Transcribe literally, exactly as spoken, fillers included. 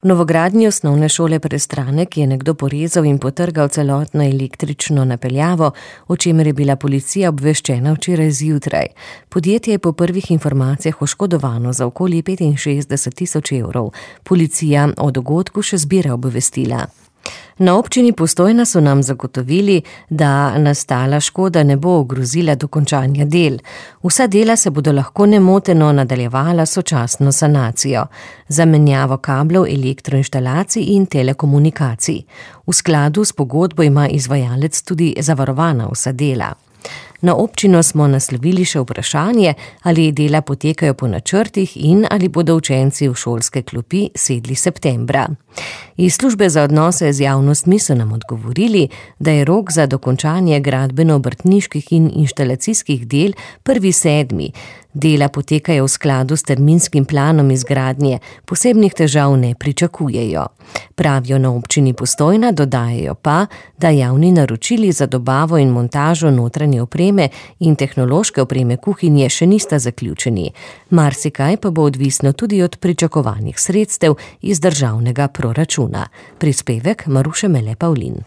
V novogradnji osnovne šole Prestranek je nekdo porezal in potrgal celotno električno napeljavo, o čemer je bila policija obveščena včeraj zjutraj. Podjetje je po prvih informacijah oškodovano za okoli petinšestdeset tisoč evrov. Policija o dogodku še zbira obvestila. Na občini Postojna so nam zagotovili, da nastala škoda ne bo ogrozila dokončanja del. Vsa dela se bodo lahko nemoteno nadaljevala sočasno sanacijo, zamenjavo kablov, elektroinštalacij in telekomunikacij. V skladu s pogodbo ima izvajalec tudi zavarovana vsa dela. Na občino smo naslovili še vprašanje, ali dela potekajo po načrtih in ali bodo učenci v šolske klopi sedli septembra. Iz službe za odnose z javnostmi so nam odgovorili, da je rok za dokončanje gradbeno-obrtniških in inštalacijskih del prvi sedmi. Dela potekajo v skladu s terminskim planom izgradnje, posebnih težav ne pričakujejo. Pravijo na občini Postojna, dodajajo pa, da javni naročili za dobavo in montažo notranje opreme in tehnološke opreme kuhinje še nista zaključeni. Marsikaj pa bo odvisno tudi od pričakovanih sredstev iz državnega proračuna. Prispevek Maruše Mele Pavlin.